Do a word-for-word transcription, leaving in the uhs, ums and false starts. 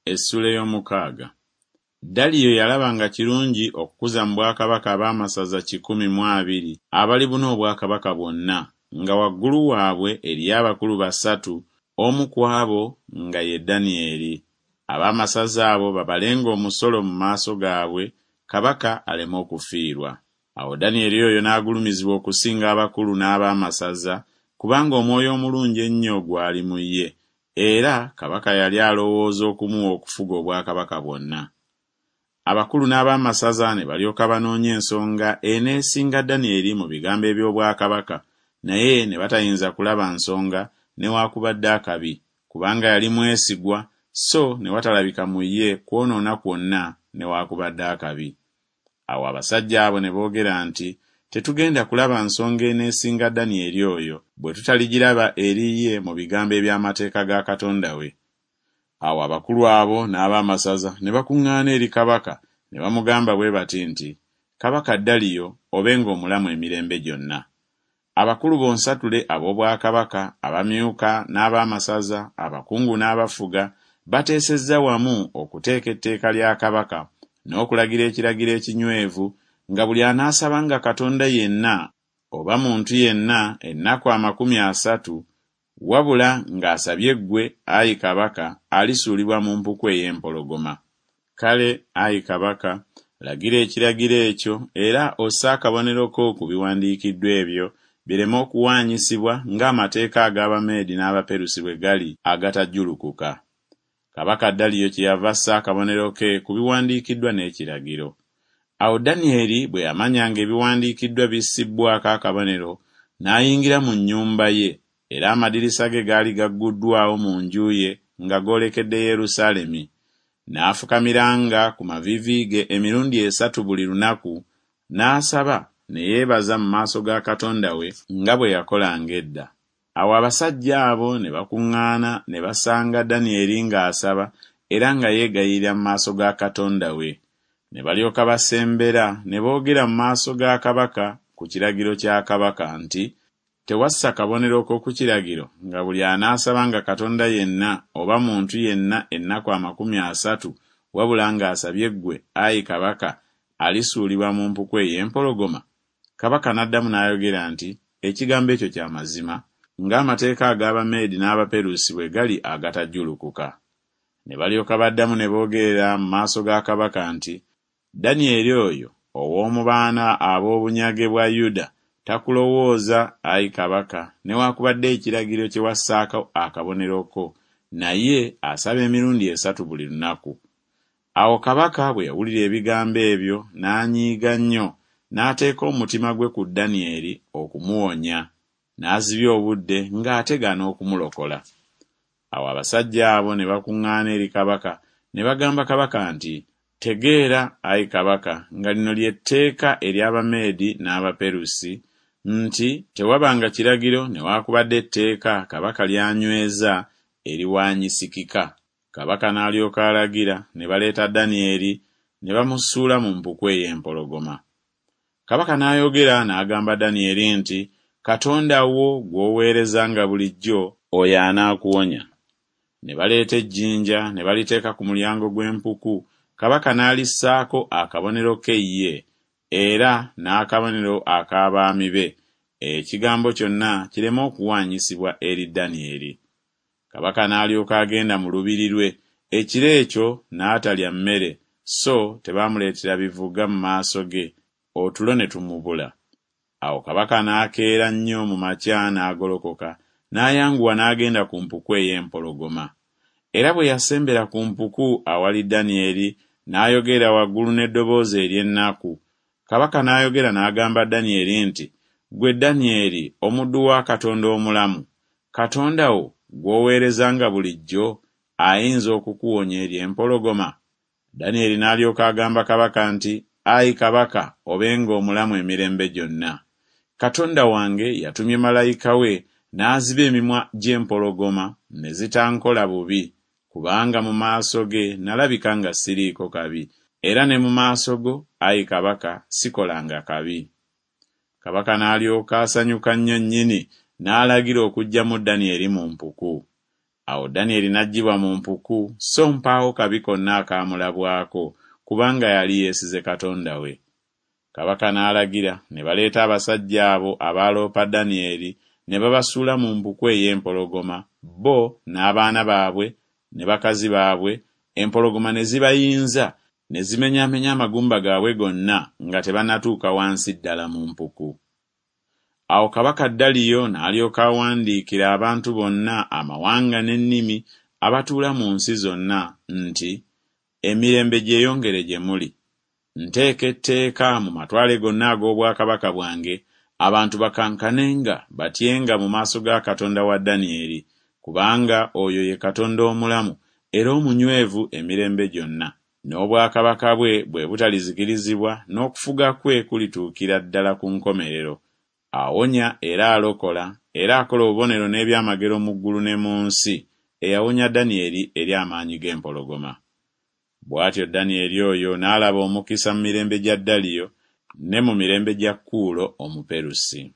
Essula ey'omukaaga. Daliyo yalaba nga kirungi okukuza mu bwakabaka ab'amasaza kikumi mu abiri abalibuna obwakabaka bwonna, nga waggulu waabwe eriyo abakulu basatu, omu ku abo nga ye Danyeri. Ab'amasaza abo babalenga omusolo mu maaso gaabwe, kabaka aleme okufiirwa. Awo Danyeri oyo n'agulumizibwa okusinga abakulu n'ab'amasaza, kubanga omwoyo omulungi ennyo gwali mu ye, era kabaka yali alowooza okumuwa okufuga obwakabaka bwonna. Abakulu n'ab'amasaza ne balyoka banoonya ensonga eneesinga Danyeri mu bigambo eby'obwakabaka, naye ne batayinza kulaba nsonga newaakubadde akabi, kubanga yali mwesigwa, so ne watalabika mu ye kwonoona kwonna newaakubadde akabi. Awo abasajja abo ne boogera nti, Tetugenda kulaba nsonga eneesinga Danyeri oyo, bwe tutaligiraba eri ye mu bigambo eby'amateeka ga Katonda we. Awo abakulu abo n'ab'amasaza ne bakuŋŋaana eri kabaka ne bamugamba bwe bati nti, Kabaka Daliyo, obenga omulamu emirembe gyonna. Abakulu bonsatule ab'obwakabaka, abamyuka n'ab'amasaza, abakungu n'abafuga, bateesezza wamu okuteeka etteeka lya kabaka n'okulagira ekiragiro ekinywevu nga buli anaasabanga katonda yenna oba muntu yenna ennaku amakumi asatu, wabula ng'asabye ggwe, ayi kabaka, alisuulibwa mu mpuku ey'empologoma. Kale, ayi kabaka, lagira ekiragiro ekyo era osse akabonero ko ku biwandiikiddwa ebyo, bireme okuwaanyisibwa ng'amateeka ag'Abameedi n'Abaperusi bwe gali agatajjulukuka. Kabaka Daliyo kyeyava assa akabonero ke ku biwandiikiddwa n'ekiragiro. Awo Danyeri bwe yamanya ng'ebiwandiikiddwa bissibbwako akabonero, n'ayingira mu nnyumba ye, era amadirisa ge gaali gagguddwawo mu nju ye nga goolekedde Yerusaalemi. N'afukamiranga ku maviivi ge emirundi esatu buli lunaku, n'asaba ne yeebaza mu maaso ga Katonda we nga bwe yakolanga edda. Awo abasajja abo ne bakuŋŋaana ne basanga Danyeri ng'asaba era nga yeegayirira mu maaso ga Katonda we. Ne balyoka basembera ne boogera mu maaso ga kabaka ku kiragiro kya kabaka nti, Tewassa kabonero ko ku kiragiro nga buli anaasabanga katonda yenna oba muntu yenna ennaku amakumi asatu wabula ng'asabye ggwe, ayi kabaka, alisuulibwa mu mpuku ey'empologoma? Kabaka n'addamu n'ayogera nti, Ekigambo ekyo kya mazima, ng'amateeka ag'Abameedi n'Abaperusi bwe gali agatajjulukuka. Ne balyoka baddamu ne boogerera mu maaso ga kabaka nti, Danyeri oyo ow'omu baana ab'obunyage bwa Yuda takulowooza, ayi kabaka, newaakubadde ekiragiro kye wassaako akabonero ko, naye asaba emirundi esatu buli lunaku. Awo kabaka bwe yawulira ebigambo ebyo n'anyiiga nnyo, n'ateeka omutima gwe ku Danyeri okumuwonya, n'azibya obudde ng'ategana okumulokola. Awo abasajja abo ne bakuŋŋaana eri kabaka ne bagamba kabaka nti, Tegeera, ayi kabaka, nga lino lye tteeka ery'Abameedi n'Abaperusi, nti tewabanga kiragiro newaakubadde etteeka kabaka ly'anyweza eriwaanyisikika. Kabaka n'alyoka alagira ne baleeta Danyeri ne bamusuula mu mpuku ey'empologoma. Kabaka n'ayogera n'agamba Danyeri nti, Katonda wo gw'oweerezanga bulijjo, oyo anaakuwonya. Ne baleeta ejjinja ne baliteeka ku mulyango gw'empuku, kabaka n'alissaako akabonero ke ye, era n'akabonero ak'abaami be, ekigambo kyonna kireme okuwaanyisibwa eri Danyeri. Kabaka n'alyoka agenda mu lubiri lwe, ekiro ekyo n'atalya mmere, so tebaamuleetera bivuga mu maaso ge, otulo ne tumubula. Awo kabaka n'akeera nnyo mu makya n'agolokoka, n'ayanguwa n'agenda ku mpuku ey'empologoma. Era bwe yasembera ku mpuku awali Danyeri, n'ayogera waggulu n'eddoboozi ery'ennaku. Kabaka n'ayogera n'agamba Danyeri nti, Ggwe Danyeri, omuddu wa Katonda omulamu, Katonda wo gw'oweerezanga bulijjo ayinza okukuwonya eri empologoma? Danyeri n'alyoka agamba kabaka nti, Ayi kabaka, obenga omulamu emirembe gyonna. Katonda wange yatumye malayika we n'aziba emimwa gy'empologoma ne zitankola bubi, kubanga mu maaso ge nalabika nga siriiko kabi, era ne mu maaso go, ayi kabaka, sikolanga kabi. Kabaka n'alyoka asanyuka nnyo nnyini, n'alagira okuggyamu Danyeri mu mpuku. Awo Danyeri n'aggyibwa mu mpuku, so mpaawo kabi konna akaamulabwako, kubanga yali yeesize Katonda we. Kabaka n'alagira, ne baleeta abasajja abo abaaloopa Danyeri, ne babasuula mu mpuku ey'empologoma, bo n'abaana baabwe ne bakazi baabwe, empologoma ne zibayinza, ne zimenyaamenya amagumba gaabwe gonna nga tebannatuuka wansi ddala mu mpuku. Awo kabaka Daliyo n'alyoka awandiikira abantu bonna, amawanga n'ennimi abatuula mu nsi zonna nti, Emirembe gyeyongere gye muli. Nteeka etteeka mu matwale gonna ag'obwakabaka bwange, abantu bakankanenga batyenga mu maaso ga Katonda wa Danyeri, kubanga oyo ye Katonda omulamu era omunywevu emirembe gyonna, n'obwakabaka bwe bwe butalizikirizibwa, n'okufuga kwe kulituukira ddala ku nkomerero. Awonya era alokola, era akola obubonero n'ebyamagero mu ggulu ne mu nsi, eyawonya Danyeri eri amaanyi g'empologoma. Bw'atyo Danyeri oyo n'alaba omukisa mu mirembe gya Daliyo ne mu mirembe gya Kuulo Omuperusi.